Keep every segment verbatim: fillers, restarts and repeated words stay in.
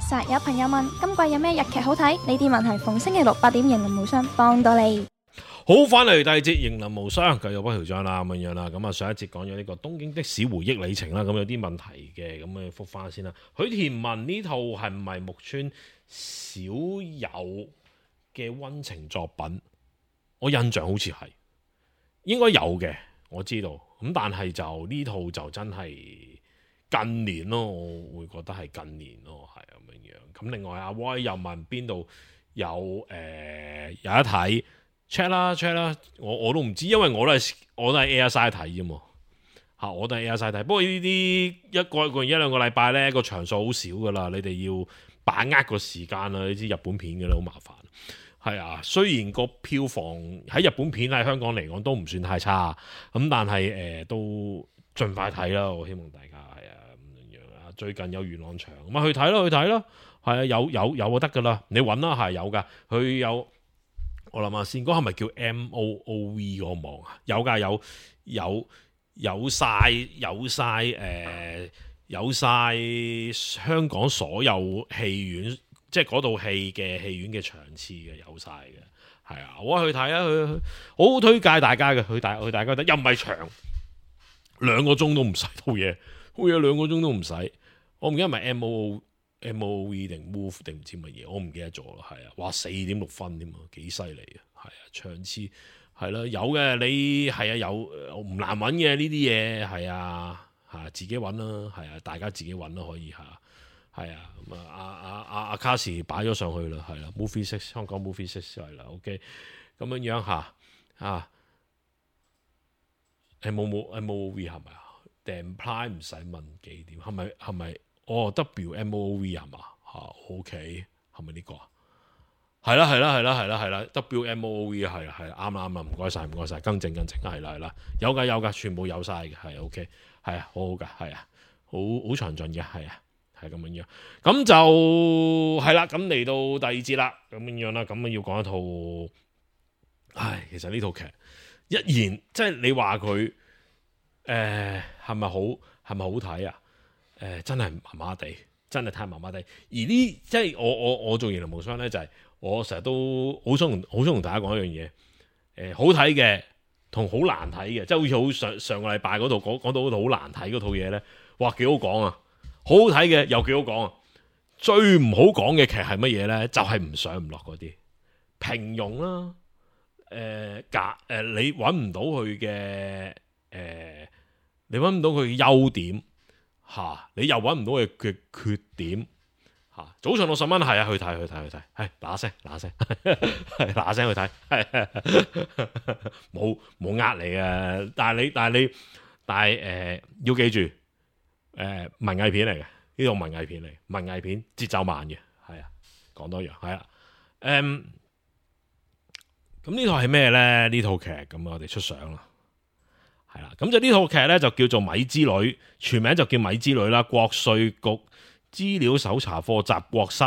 實有朋友問今季有咩日劇好睇？呢啲問題逢星期六八點迎臨無雙幫到你。好，翻嚟第二節迎臨無雙，繼續不條章啦咁樣啦。咁啊上一節講咗呢個東京的士回憶里程啦，咁有啲問題嘅，咁啊復翻先啦。許田文呢套係唔係木村少有嘅溫情作品？我印象好似係，應該有嘅，我知道。咁但係就呢套就真係近年咯，我會覺得係近年咯，係咁樣樣。咁另外阿威又問邊度有誒、呃、有得睇？check 啦 check 啦，我我都唔知，因為我都係我都係 Airside 睇啫嘛嚇，我都係 Airside 睇。不過呢啲一個一個一兩個禮拜咧，個場數好少噶啦，你哋要把握個時間啦。你知日本片嘅咧好麻煩，係啊。雖然個票房喺日本片喺香港嚟講都唔算太差，咁但係誒、呃、都盡快睇啦。我希望大家係啊咁樣啊。最近有元朗場咁啊，去睇咯去睇咯，係啊，有有有就得噶啦，你揾啦係有噶，佢有。我諗下先，嗰係咪叫 M O O V 嗰個網啊？有㗎，有有有晒有晒誒、呃、有晒香港所有戲院，即係嗰套戲嘅戲院嘅場次嘅，有晒嘅。係啊，我去睇啊，去去好好推介大家嘅，去大去大家睇，又唔係長，兩個鐘都唔使套嘢，好嘢兩個鐘都唔使。我唔記得係咪 M O O M O V 定 Move 定唔知乜嘢，我唔記得咗啦。係啊，哇四點六分添啊，幾犀利啊！係啊，場次係啦，有嘅你係啊，有唔難揾嘅呢啲嘢係啊嚇，自己揾啦，係啊，大家自己揾啦可以嚇，係啊咁啊阿阿阿阿卡士擺咗上去啦，係啦 Movie Six 香港 Movie Six 係啦 ，OK 咁樣樣嚇啊誒冇冇誒冇 V 係咪啊？訂 Prime 唔使問幾點，係咪係咪？哦 W M O V 係嘛嚇 OK 係咪呢個啊？係啦係啦係啦係啦係啦 W M O V 係啦係啦啱啦啱啦，唔該晒唔該晒，更正更正係啦係啦，有㗎有㗎，全部有晒嘅係 OK 係啊，好好㗎係啊，好好詳盡嘅係啊，係咁樣樣。咁就係啦，咁嚟到第二節啦，咁樣樣啦，咁啊要講一套，唉，其實呢套劇一言即係你話佢誒係咪好係咪好睇啊？誒、呃、真係麻麻地，真係太麻麻地。而呢即係我我我做迎臨無雙咧，就係、是、我成日都好想同好想同大家講一樣嘢。誒、呃、好睇嘅同好難睇嘅，即係好似好上上個禮拜嗰度講講到嗰套好難睇嗰套嘢咧，哇幾好講啊！好好睇嘅又幾好講啊！最唔好講嘅劇係乜嘢咧？就係、是、唔上唔落嗰啲平庸啦。誒假誒你揾唔到佢嘅誒，你揾唔到佢嘅優點。嚇、啊！你又揾唔到佢嘅缺點嚇、啊。早上六十蚊係啊，去睇去睇去睇，係嗱聲嗱聲，係嗱聲去睇，冇冇呃你嘅。但係你但係你但係誒、呃、要記住誒、呃、文藝片嚟嘅，呢套文藝片嚟，文藝片節奏慢嘅，係啊，講多樣係啊。誒咁呢套係咩咧？呢套劇咁我哋出相啦。係啦，咁就呢套劇咧就叫做《米之女》，全名就叫《米之女》啦。國稅局資料搜查課集國室，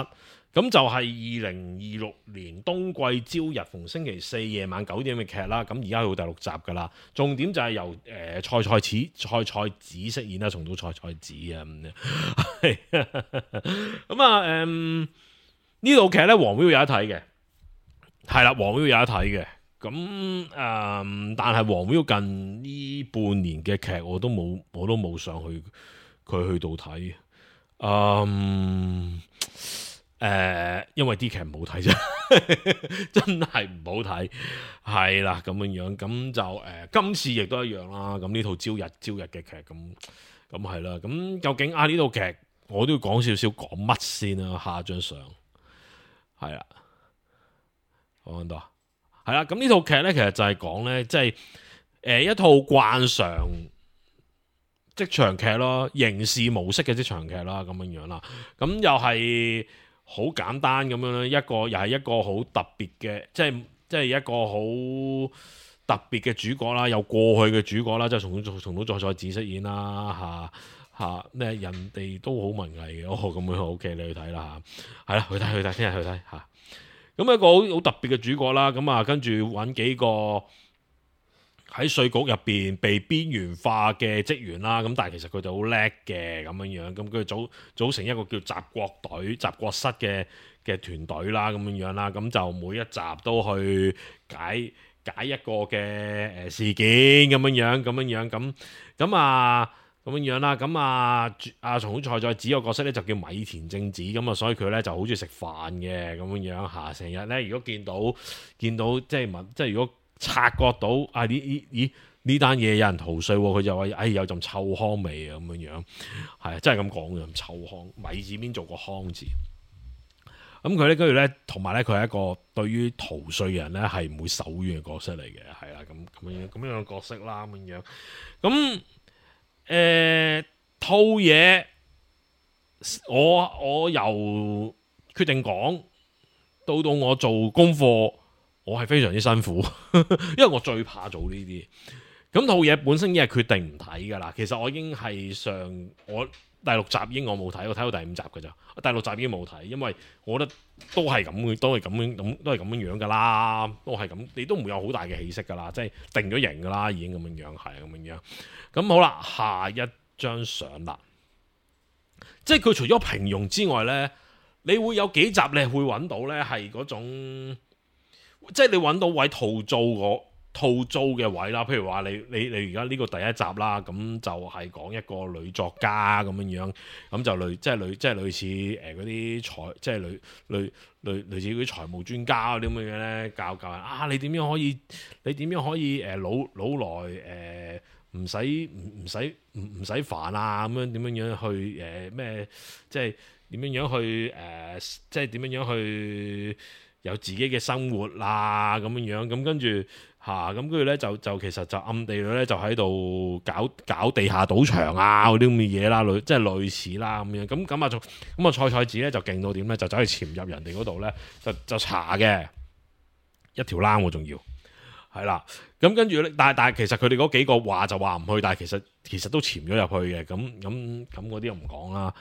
咁就係二零二六年冬季朝日逢星期四夜晚九點嘅劇啦。咁而家去到第六集噶啦，重點就係由誒蔡蔡子蔡蔡子飾演啦，重到蔡蔡子啊咁樣。咁啊，誒呢套劇咧，黃 Viu 有得睇嘅，係啦，黃 Viu 有得睇嘅。咁誒、嗯，但係黃 Viu 近呢半年嘅劇我都冇，我都冇上去佢去到睇。嗯，誒、呃，因為啲劇唔好睇啫，真係唔好睇。係啦，咁樣樣，咁就誒、呃，今次亦都一樣啦。咁呢套朝日朝日嘅劇，咁咁係啦。咁究竟啊呢套劇，我都要講少少講乜先啦。下一張相係啦，講到。係啦，咁呢套劇咧，其實就係講咧，即係誒一套慣常職場劇咯，刑事模式嘅職場劇啦，咁樣樣啦，咁又係好簡單咁樣咧，一個又係一個好特別嘅，即係即係一個好特別嘅主角啦，有過去嘅主角啦，即係重組重組再再子飾演啦，吓吓咩人哋都好文藝嘅，哦咁樣 OK，你去睇啦吓，係啦，去睇去睇，聽日去睇吓。咁一個好好特別嘅主角啦，咁啊跟住揾幾個喺稅局入邊被邊緣化嘅職員啦，咁但係其實佢哋好叻嘅咁樣樣，咁佢組組成一個叫習國隊、習國室嘅嘅團隊啦，咁樣樣啦，咁就每一集都去解解一個嘅誒事件咁樣樣，咁樣樣咁咁啊咁樣樣啦，咁啊阿松本菜菜子個角色咧就叫米田正子，咁啊所以佢咧就好中意食飯嘅咁樣樣嚇，成日咧如果見到見到即係問即係如果察覺到啊呢呢咦呢單嘢有人逃稅，佢就話哎有陣臭糠味啊咁樣樣，係啊真係咁講嘅，臭糠米字邊做個糠字。咁佢咧跟住咧，同埋咧佢係一個對於逃稅嘅人咧係唔會手軟嘅角色嚟嘅，係啦咁咁樣咁樣嘅角色啦咁樣。咁誒套嘢，我我由決定講到到我做功課，我係非常之辛苦，因為我最怕做呢啲。咁套嘢本身已經係決定唔睇噶啦。其實我已經係上我第六集已經我冇睇，我睇到第五集噶咋。第六集已經冇睇，因為我覺得都係咁嘅，都係咁樣咁，都係咁樣樣噶啦，都係咁，你都唔會有好大嘅起色噶啦，即係定咗型噶啦，已經咁樣樣，係咁樣樣。咁好啦，下一張相啦，即係佢除咗平庸之外呢，你會有幾集你會揾到呢係嗰種，即係你揾到位套租個。套租嘅位啦，譬如話你你你而家呢個第一集啦，咁就係講一個女作家咁樣樣，咁就類即係類即係類似誒嗰啲財即係類類類類似嗰啲財務專家嗰啲咁嘅嘢咧，教教人啊你點樣可以你點樣可以誒、呃、老老來誒唔使唔唔使唔唔使煩啊咁樣點樣樣去誒咩、呃、即係點樣樣去誒、呃、即係點樣樣去有自己嘅生活啦咁樣樣，咁跟住。嚇咁跟住咧就就其實就暗地裏咧就喺度搞搞地下賭場啊嗰啲咁嘅嘢啦，類即係類似啦咁樣。咁咁啊就咁啊菜菜子咧就勁到點咧，就走去潛入人哋嗰度咧，就就查嘅一條冷喎，仲要係啦。咁跟住咧，但係但係其實佢哋嗰幾個話就話唔去，但係其實其實都潛咗入去嘅。咁咁咁嗰啲又唔講啦。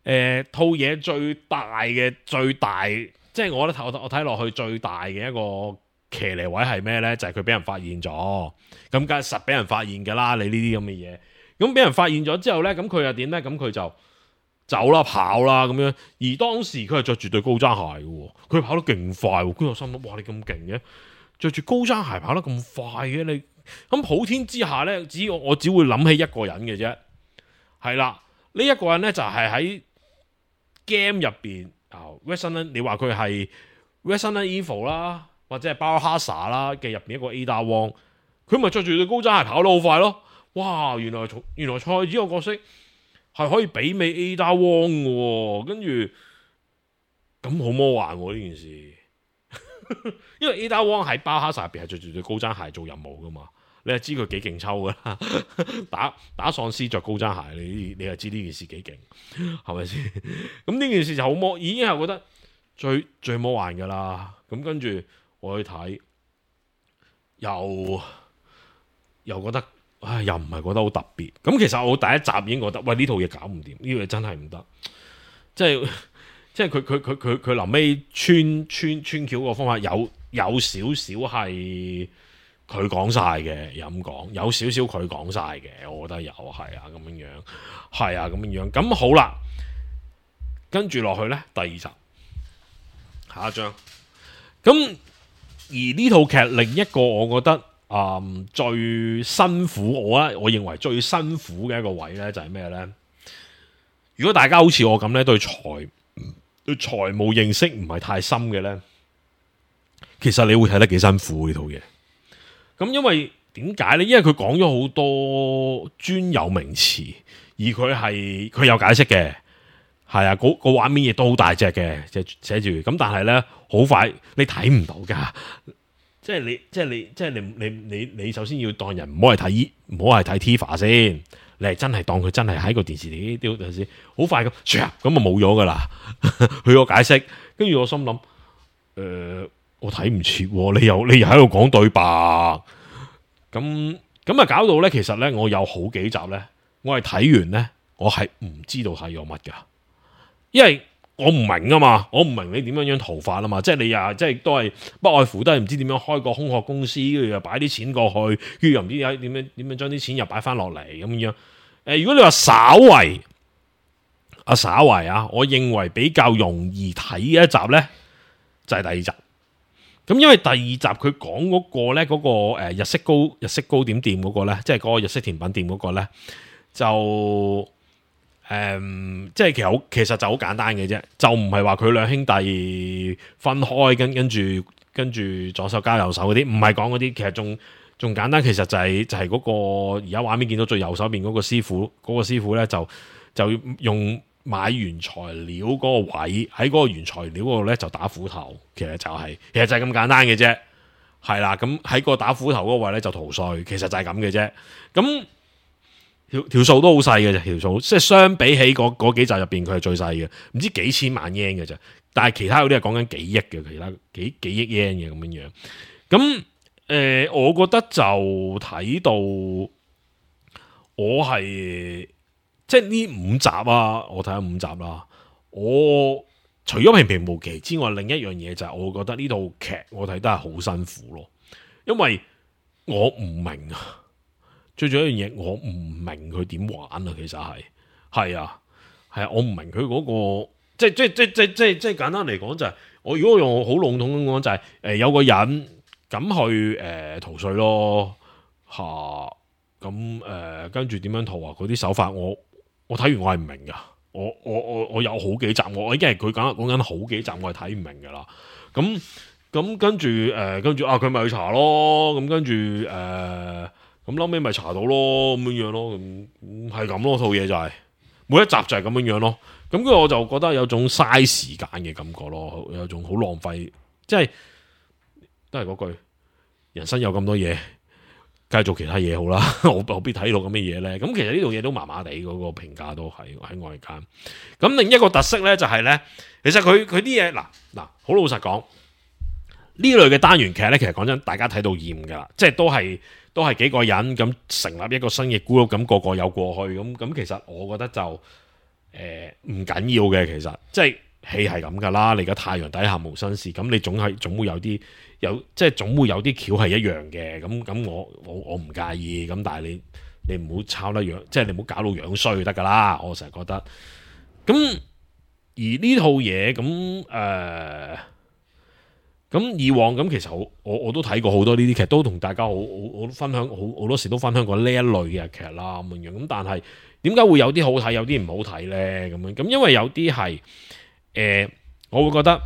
誒套嘢最大嘅最大，即係我覺得我我睇落去最大嘅一個。騎呢位係咩呢？就係佢俾人發現咗，咁梗係實俾人發現㗎啦！你呢啲咁嘅嘢，咁俾人發現咗之後呢，咁佢又點呢？咁佢就走啦、跑啦咁樣。而當時佢係着住對高踭鞋嘅，佢跑得勁快。跟住我心諗：哇！你咁勁嘅，着住高踭鞋跑得咁快嘅你，咁普天之下呢，只要我只會諗起一個人嘅啫。係啦，呢、這、一個人呢，就係喺 game 入邊啊 Resident 你話佢係 Resident Evil 啦。或者係包哈薩啦嘅入邊一個 Ada Wong，佢咪着住對高踭鞋跑得好快咯！哇，原來原來菜子個角色係可以媲美 Ada Wong 嘅喎，跟住咁好魔幻喎呢件事，因為 Ada Wong 喺包哈薩入邊係着住對高踭鞋做任務噶嘛，你係知佢幾勁抽噶啦，打打喪屍着高踭鞋，你你係知呢件事幾勁，係咪先？咁呢件事就好魔，已經係覺得最最魔幻噶啦，咁跟住。我去睇，又又覺得，唉，又唔係覺得好特別。咁其實我第一集已經覺得，喂呢套嘢搞唔掂，呢套嘢真係唔得。即係即係佢佢佢佢佢臨尾穿穿穿橋個方法有有少少係佢講晒嘅，又咁講，有少少佢講晒嘅，我覺得有係啊咁樣樣，係啊咁樣樣。咁好啦，跟住落去咧，第二集，下一張，咁。而呢套劇另一個我覺得啊、嗯、最辛苦，我咧我認為最辛苦嘅一個位咧就係咩咧？如果大家好似我咁咧對財對財務認識唔係太深嘅咧，其實你會睇得幾辛苦呢套嘢。咁因為點解咧？因為佢講咗好多專有名詞，而佢係佢有解釋嘅。係啊，嗰個畫面亦都好大隻嘅，即係寫住咁，但係咧好快你睇唔到噶，即係你即係你即係你你你你首先要當人唔好係睇唔好係睇 T V B 先，你係真係當佢真係喺個電視嚟啲電視，好快咁，咁啊冇咗噶啦，佢個解釋，跟住我心諗，誒、呃，我睇唔切，你又你又喺度講對白，咁咁啊搞到咧，其實咧我有好幾集咧，我係睇完咧，我係唔知道睇咗乜噶。因為我唔明啊嘛，我唔明你點樣樣逃法啊嘛，即係你又即係都係不外乎都係唔知點樣開個空殼公司，跟住又擺啲錢過去，跟住又唔知點樣點樣將啲錢又擺翻落嚟咁樣。誒、呃，如果你話稍為啊稍為啊，我認為比較容易睇嘅一集咧，就係、是、第二集。咁因為第二集佢講嗰個咧，嗰、那個誒日式糕日式糕點店嗰個咧，即係嗰個日式甜品店嗰個咧，就誒、嗯、即係其實好其實就好簡單嘅啫，就唔係話佢兩兄弟分開跟跟住跟住左手交右手嗰啲，唔係講嗰啲，其實仲仲簡單，其實就係、是、就係、是、嗰個而家畫面見到最右手邊嗰個師傅，嗰、那個師傅咧就就用。買原材料嗰個位喺嗰個原材料嗰度咧就打斧頭，其實就係、是、其實就係咁簡單嘅啫，係啦。咁喺個打斧頭嗰個位咧就逃稅，其實就係咁嘅啫。咁條條數都好細嘅啫，條數即係相比起嗰嗰幾集入邊佢係最細嘅，唔知幾千萬 yen 嘅啫。但係其他嗰啲係講緊幾億嘅，其他幾幾億 yen 嘅咁樣樣。咁誒、呃，我覺得就睇到我係。即係呢五集啊，我睇咗五集啦。我除咗平平無奇之外，另一樣嘢就係我覺得呢套劇我睇得係好辛苦咯，因為我唔明啊。最重要一樣嘢，我唔明佢點玩啊。其實係係啊，係啊，我唔明佢嗰、嗰個即係即係即係即係即係即係簡單嚟講就係、是、我如果用好籠統咁講就係、是、誒、呃、有個人咁去誒、呃、逃稅咯吓，咁誒跟住點樣逃啊？嗰啲手法我。我睇完我係唔明噶，我我我我有好幾集我已經係佢講講緊好幾集我係睇唔明噶啦。咁咁跟住誒跟住啊佢咪去查咯，咁跟住誒咁後尾咪查到咯咁樣樣咯，咁係咁咯，套嘢就係、是、每一集就係咁樣樣咯。咁跟住我就覺得有種嘥時間嘅感覺咯，有種好浪費，即係都係嗰句，人生有咁多嘢。梗係做其他嘢好啦，我何必睇到咁嘅嘢咧？咁其實呢度嘢都麻麻地，嗰個評價都係喺外間。咁另一個特色咧就係、是、咧，其實佢佢啲嘢嗱嗱，好老實講，呢類嘅單元劇咧，其實講真，大家睇到厭噶啦，即係都係都係幾個人咁成立一個新嘅 group，咁個個有過去，咁咁其實我覺得就誒唔緊要嘅，其實即係戲係咁噶啦。你而家太陽底下無新事，咁你總係總會有啲。有即係總會有啲橋係一樣嘅，咁咁我我我唔介意，咁但係你你唔好抄得樣，即係你唔好搞到樣衰就得噶啦，我成日覺得。咁而呢套嘢咁誒，咁、呃、以往咁其實我我我都睇過好多呢啲劇，都同大家好好好分享，好好多時都分享過呢一類嘅劇啦咁樣。咁但係點解會有啲好睇，有啲唔好睇咧？咁樣咁因為有啲係誒，我會覺得，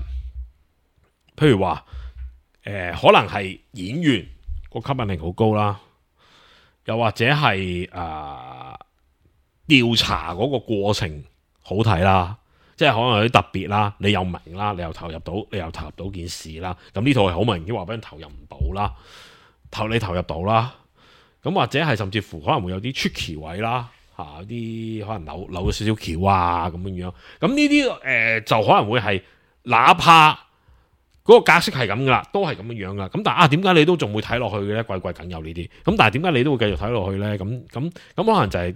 譬如話。誒、呃，可能係演員個吸引力好高啦，又或者係誒調查嗰個過程好睇啦，即係可能有啲特別啦，你又明啦，你又投入到，你又投入到件事啦。咁呢套係好明顯話俾人投入唔到啦，投你投入到啦。咁或者係甚至乎可能會有啲出奇位啦，吓、啊、啲可能扭扭咗少少橋啊咁樣樣。咁呢啲誒就可能會係哪怕。嗰個格式係咁噶啦，都係咁樣樣噶。咁但係啊，點解你都仲會睇落去嘅咧？季季梗有呢啲。咁但係點解你都會繼續睇落去咧？咁咁咁可能就係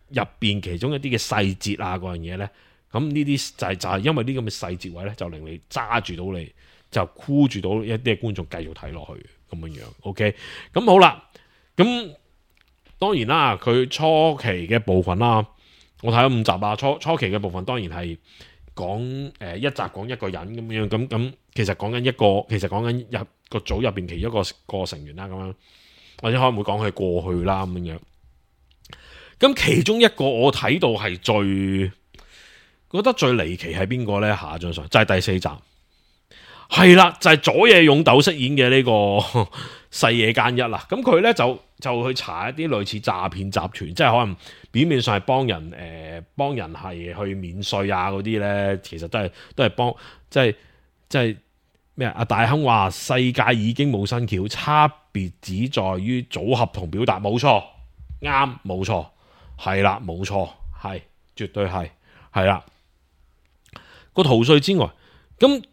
入邊其中一啲嘅細節啊，嗰樣嘢咧。咁呢啲就係、是、就係、是、因為呢咁嘅細節位咧，就令你揸住到你，就箍住到一啲嘅觀眾繼續睇落去咁樣樣。OK，咁好啦。咁當然啦，佢初期嘅部分啦，我睇咗五集啊。初初期嘅部分當然係。講誒、呃、一集講一個人咁樣咁咁，其實講緊一個，其實講緊入個組入邊其中一個個成員啦咁樣，或者可能會講佢過去啦咁樣。咁其中一個我睇到係最覺得最離奇係邊個咧？下一張相就係、是、第四集，係啦，就係、是、佐野勇斗飾演嘅呢個細野間一啦。咁佢咧就就去查一啲類似詐騙集團，即係可能。表面上係幫人誒、呃，幫人係去免稅啊嗰啲咧，其實都係都係幫，即係即係咩啊？阿大亨話世界已經冇新橋，差別只在於組合同表達，冇錯，啱，冇錯，係啦，冇錯，係絕對係，係啦。個逃稅之外，咁。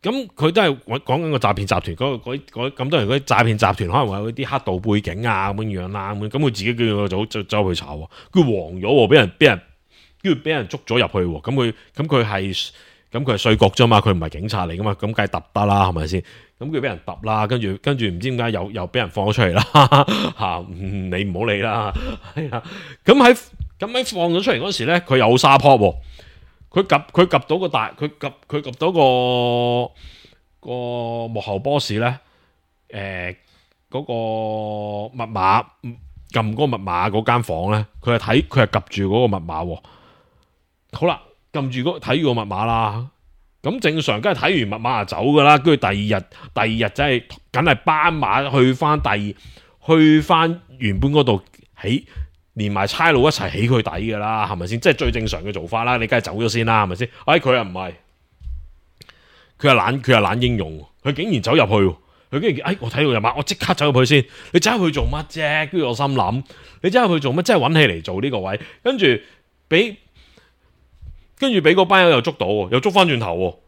咁佢都係講緊個詐騙集團，嗰個咁多人嗰啲詐騙集團可能會有啲黑道背景啊咁樣樣啦，咁咁佢自己叫個組就走去查，佢黃咗，俾人俾人跟住俾人捉咗入去，咁佢咁佢係咁佢係稅局啫嘛，佢唔係警察嚟噶嘛，咁梗係揼得啦，係咪先？咁佢俾人揼啦，跟住跟住唔知點解又又俾人放咗出嚟啦嚇，你唔好理啦，係啊。咁喺咁喺放咗出嚟嗰時咧，佢有沙坡喎，佢及佢及到個大，佢及佢及到個個幕後 boss 咧，誒嗰個密碼撳嗰個密碼嗰間房咧，佢係睇佢係及住嗰個密碼喎。好啦，撳住嗰睇住個密碼啦。咁正常梗係睇完密碼就走噶啦，跟住第二日第二日真係梗係斑馬去翻第二去翻原本嗰度起，連埋差佬一齊起佢底噶啦，係咪先？即係最正常嘅做法啦，你梗係走咗先啦，係咪先？哎，佢又唔係，佢係懶，佢係懶英勇，佢竟然走入去，佢竟然哎，我睇到密碼，我即刻走入去先。你走入去做乜啫？跟住我心諗，你走入去做乜？真係揾起嚟做呢個位，跟住俾。跟住俾嗰班友又捉到，又捉翻轉頭，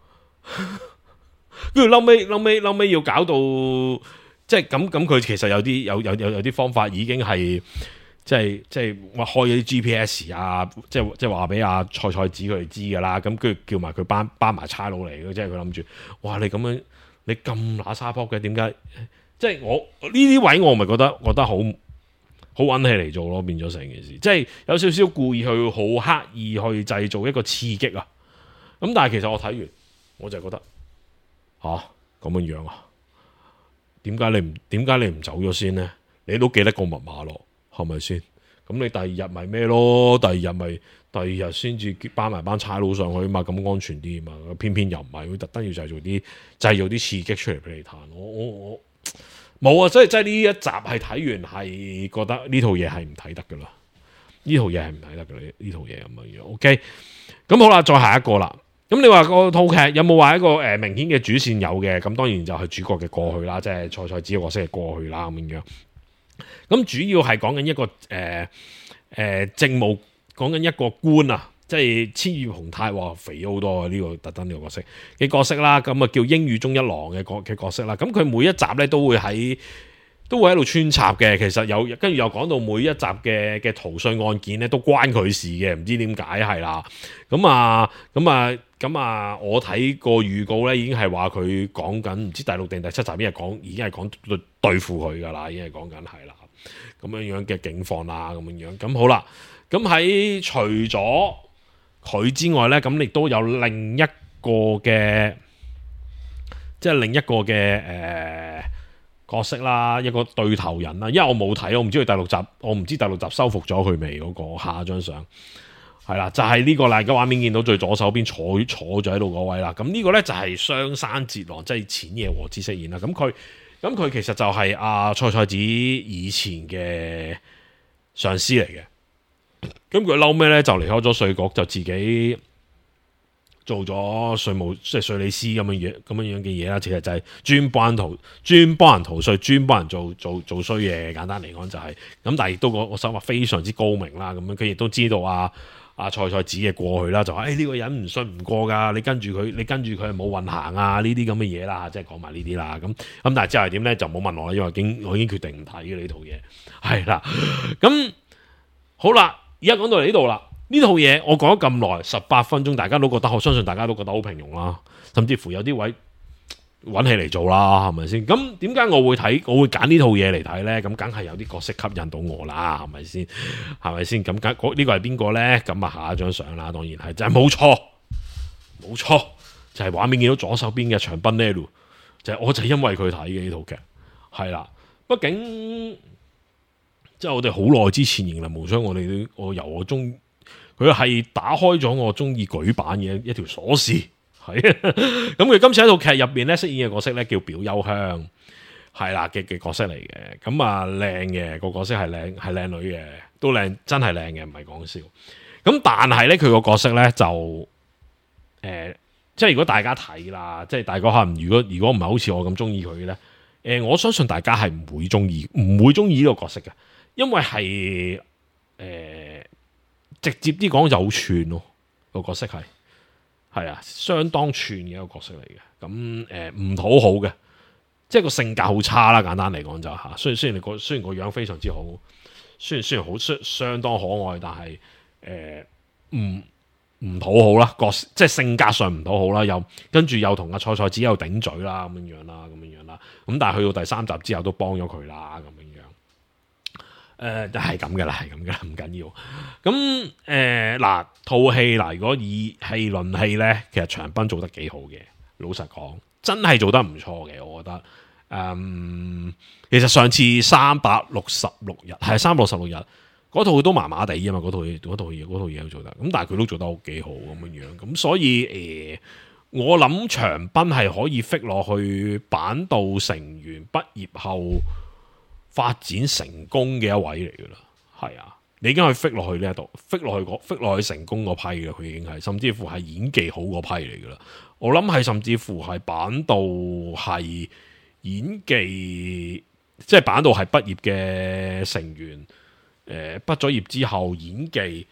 跟住嬲尾嬲尾嬲尾要搞到即係咁咁，佢其實有啲有有有有啲方法已經係即係即係話開咗啲 G P S 啊，即係即係話俾阿蔡蔡子佢哋知噶啦，咁跟住叫埋佢班班埋差佬嚟嘅，即係佢諗住，哇你咁樣你咁乸沙坡嘅，點解？即係我呢啲位我咪覺得覺得好。好揾起嚟做咯，變咗成件事，即係有少少故意去好刻意去製造一個刺激啊！咁但係其實我睇完，我就覺得吓咁樣樣啊？點解你唔點解你唔走咗先呢？你都記得個密碼咯，係咪先？咁你第二日咪咩咯？第二日咪第二日先至班埋班差佬上去嘛，咁安全啲嘛。偏偏又唔係，會特登要製造啲製造啲刺激出嚟俾你彈。我我我。冇啊！所以即係呢一集係睇完係覺得呢套嘢係唔睇得噶啦，呢套嘢係唔睇得噶啦，呢套嘢咁樣樣。OK，咁好啦，再下一個啦。咁你話個套劇有冇話一個誒、呃、明顯嘅主線有嘅？咁當然就係主角嘅過去啦，即係蔡蔡子嘅角色嘅過去啦咁樣樣。咁主要係講緊一個誒誒、呃呃、政務，講緊一個官啊。即係千葉雄太話肥好多啊！呢、這個特登呢個角色嘅角色啦，咁啊叫英語中一郎嘅角嘅角色啦。咁佢每一集咧都會喺都會喺度穿插嘅。其實有跟住又講到每一集嘅嘅逃稅案件咧都關佢事嘅，唔知點解係啦。咁啊咁啊咁啊，我睇個預告咧已經係話佢講緊唔知第六定第七集已經係講已經係講對對付佢噶啦，已經係講緊係啦咁樣樣嘅境況啦，咁樣樣咁好啦。咁喺除咗佢之外咧，咁亦都有另一個嘅，即係另一個嘅誒、呃、角色啦，一個對頭人啦。因為我冇睇，我唔知佢第六集，我唔知第六集收復咗佢未嗰個下一張相係啦，就係、是、呢個啦。而家畫面見到最左手邊坐坐咗喺度嗰位啦。咁呢個咧就係雙山哲郎，即係淺野和之飾演啦。咁佢咁佢其實就係阿蔡蔡子以前嘅上司嚟嘅。咁佢嬲咩咧？就離開咗稅局，就自己做咗稅務即係稅理師咁樣嘢，咁樣樣嘅嘢啦。其實就係專幫人逃，專幫人逃稅，專幫人做做做衰嘢。簡單嚟講就係、是、咁，但係亦都我我想話非常之高明啦。咁樣佢亦都知道啊啊蔡蔡子嘅過去啦，就話誒呢個人唔信唔過噶，你跟住佢，你跟住佢係冇運行啊呢啲咁嘅嘢啦，即係講埋呢啲啦。咁咁但係之後係點咧？就冇問我啦，因為已經我已經決定唔睇嘅呢套嘢係啦。咁好啦。而家講到嚟呢度啦，呢套嘢我講咗咁耐，十八分鐘，大家都覺得，我相信大家都覺得好平庸啦，甚至乎有啲位揾起嚟做啦，係咪先？咁點解我會睇，我會揀呢套嘢嚟睇呢？咁梗係有啲角色吸引到我啦，係咪先？係咪先？咁梗呢個係邊個呢？咁啊下一張相啦，當然係就係冇錯，冇錯，就係、是、畫面見到左手邊嘅長濱呢度，就係、是、我就係因為佢睇嘅呢套劇，係啦，畢竟。即係我哋好耐之前迎嚟無雙，我哋都我由我中佢係打開咗我中意舉版嘅一條鎖匙，係咁佢今次喺套劇入邊咧飾演嘅角色咧叫表優香，係啦嘅嘅角色嚟嘅，咁啊靚嘅個角色係靚係靚女嘅，都靚真係靚嘅，唔係講笑。咁但係咧佢個角色咧就誒、呃，即係如果大家睇啦，即係大家可能如果如果唔係好似我咁中意佢嘅咧，誒、呃、我相信大家係唔會中意唔會中意呢個角色嘅。因為係誒、呃、直接啲講就好串咯，個角色係係啊，相當串嘅一個角色嚟嘅。咁誒唔討好嘅，即係個性格好差啦。簡單嚟講就吓，雖然雖然你個雖然個樣非常之好，雖然雖然好相相當可愛，但係誒唔唔討好啦，個即係性格上唔討好啦，又跟住又同阿菜菜子又頂嘴啦，咁樣樣啦，咁樣樣啦。咁但係去到第三集之後都幫咗佢啦，咁樣樣。誒，就係咁噶啦，係咁噶啦，唔緊要。咁誒嗱，套戲嗱，如果以戲論戲咧，其實長濱做得幾好嘅，老實講，真係做得唔錯嘅，我覺得。誒，其實上次三百六十六日係三百六十六日。嗰套都麻麻地啊嘛，嗰套嘢嗰套嘢嗰套嘢都做得，咁但係佢都做得好幾好咁樣樣，咁所以誒、呃，我諗長濱係可以 fit 落去板道成員畢業後發展成功嘅一位嚟噶啦，係啊，你已經可以 fit 落去呢一度 fit 落去 fit 落去成功嗰批嘅，佢已經係甚至乎係演技好嗰批嚟噶啦，我諗係甚至乎係板道係演技，即係板道係畢業嘅成員。誒，畢咗業之後演技，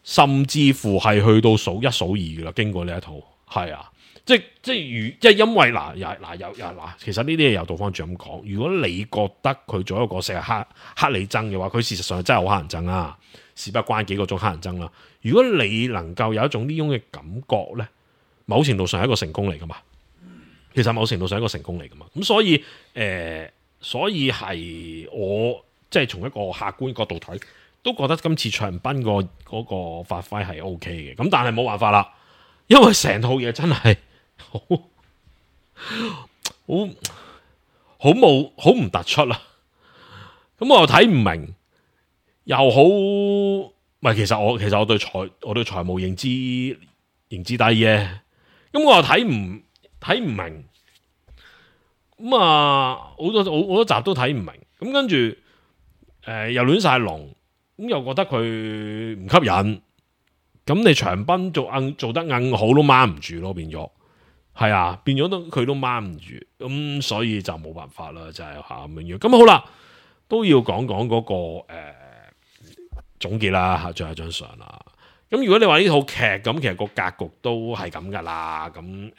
甚至乎係去到數一數二噶啦。經過呢一套，係啊，即係即係如，即係因為嗱，又嗱又又嗱，其實呢啲嘢又倒翻轉咁講。如果你覺得佢做一個成日黑黑你憎嘅話，佢事實上真係好黑人憎啊，事不關幾個鐘黑人憎啦。如果你能夠有一種呢種嘅感覺咧，某程度上係一個成功嚟噶嘛。其實某程度上係一個成功嚟噶嘛。咁所以誒、呃，所以係我。即係從一個客觀角度睇，都覺得今次長濱個嗰個發揮係 O K 嘅。咁但係冇辦法啦，因為成套嘢真係好好好冇好唔突出啦。咁我又睇唔明，又好唔係。其實我其實我對財我對財務認知認知低嘅。咁我又睇唔睇唔明。咁啊，好多好多集都睇唔明。咁跟住。誒、呃，又亂晒龍，咁又覺得佢唔吸引，咁你長濱做硬做得硬好都掹唔住咯，變咗係啊，變咗都佢都掹唔住，咁所以就冇辦法啦，就係吓咁樣。咁好啦，都要講講嗰個誒、呃、總結啦，吓最後一張相啦。咁如果你話呢套劇咁，其實個格局都係咁噶啦，咁誒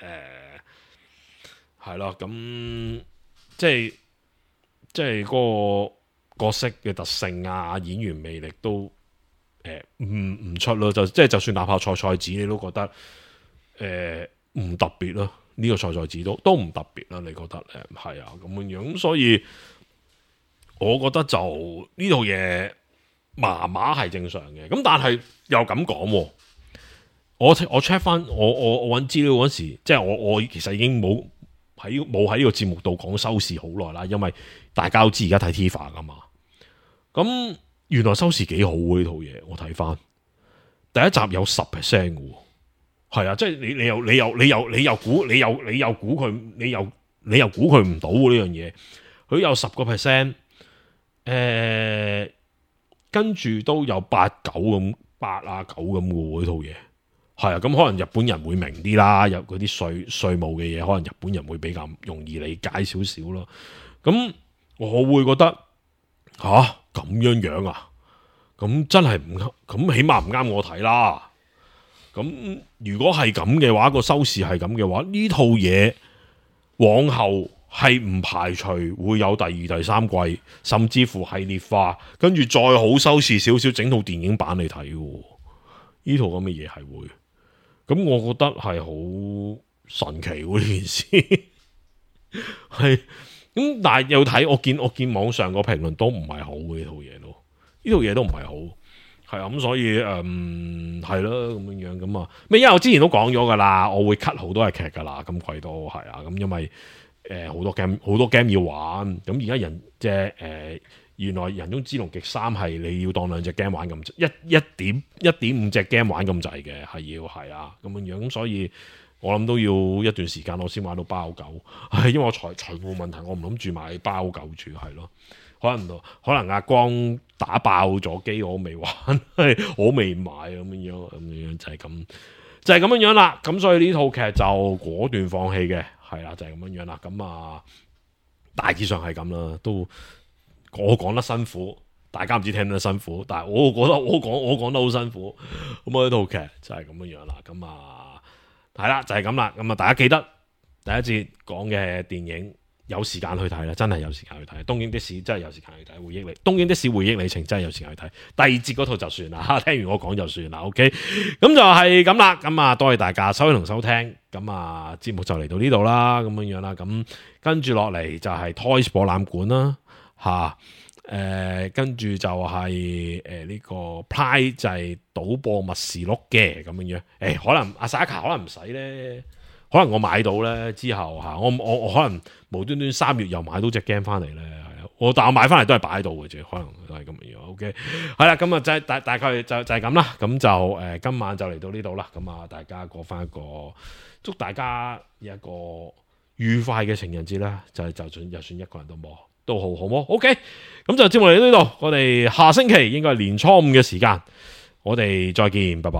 係咯，咁即係即係嗰個。角色嘅特性啊，演員魅力都誒唔唔出咯，就即係就算哪怕菜菜子，你都覺得誒唔、呃、特別咯。呢、這個菜菜子都都唔特別啦，你覺得誒係啊咁樣樣，咁所以我覺得就呢套嘢麻麻係正常嘅。咁但係又咁講，我我 check 翻我我我揾資料嗰時，即係我我其實已經冇喺冇喺呢個節目度講收視好耐啦，因為大家都知而家睇 T V B 噶嘛。咁原來收視幾好喎呢套嘢，我睇翻第一集有十 percent 嘅，係啊，即係你你又你又你又你又估你又你又估佢你又你又估佢唔到呢樣嘢，佢有十個 percent，誒，跟住都有八九咁八啊九咁嘅喎呢套嘢，係啊，咁可能日本人會明啲啦，有嗰啲稅稅務嘅嘢，可能日本人會比較容易理解少少咯。咁我會覺得吓。啊咁樣樣啊，咁真係唔啱，咁起碼唔啱我睇啦。咁如果係咁嘅話，個收視係咁嘅話，呢套嘢往後係唔排除會有第二、第三季，甚至乎系列化，跟住再好收視少少，整套電影版嚟睇。呢套咁嘅嘢係會，咁我覺得係好神奇喎呢件事，係。咁但係又睇，我見我見網上個評論都唔係好嘅呢套嘢咯，呢套嘢都唔係好，係啊，咁所以誒係咯咁樣樣咁啊，咩因為我之前都講咗噶啦，我會 cut 好多嘅劇噶啦，今季都係啊，咁因為誒好、呃、多 game 好多 game 要玩，咁而家人即係誒原來人中之龍極三係你要當兩隻 game 玩咁，一一點一點五隻 game 玩咁滯嘅，係要係啊咁樣樣，咁所以。我諗都要一段時間我先玩到包狗，係因為我財財務問題，我唔諗住買包狗住，係咯，可能可能阿光打爆咗機，我未玩，我未買咁樣樣，咁樣就係咁，就係咁樣樣啦。咁所以呢套劇就果斷放棄嘅，係啦，就係咁樣樣啦。咁啊，大致上係咁啦，都我講得辛苦，大家唔知聽得辛苦，但係我覺得我講我講得好辛苦。咁啊，呢套劇就係咁樣樣啦。咁啊。係啦，就係咁啦。咁啊，大家記得第一節講嘅電影有時間去睇啦，真係有時間去睇。東京的士真係有時間去睇，回憶里東京的士回憶里程真係有時間去睇。第二節嗰套就算啦，聽完我講就算啦。OK， 咁就係咁啦。咁啊，多謝大家收聽同收聽。咁啊，節目就嚟到呢度啦，咁樣樣啦。咁跟住落嚟就係 Toys 博覽館啦，吓。誒，跟住、呃、就係誒呢個 Pride 就係賭博密事錄嘅咁樣樣。誒、呃，可能阿 Saka 可能唔使咧，可能我買到咧之後吓，我我我可能無端端三月又買到隻 game 翻嚟咧，係啊，我但我買翻嚟都係擺喺度嘅啫，可能都係咁樣樣。OK， 係啦，咁啊就係大大概就就係咁啦，咁就誒、呃、今晚就嚟到呢度啦，咁啊大家過翻一個，祝大家有一個愉快嘅情人節啦，就係就算就算一個人都冇。都好好麼 ？OK， 咁就節目嚟到呢度，我哋下星期應該係年初五嘅時間，我哋再見，拜拜。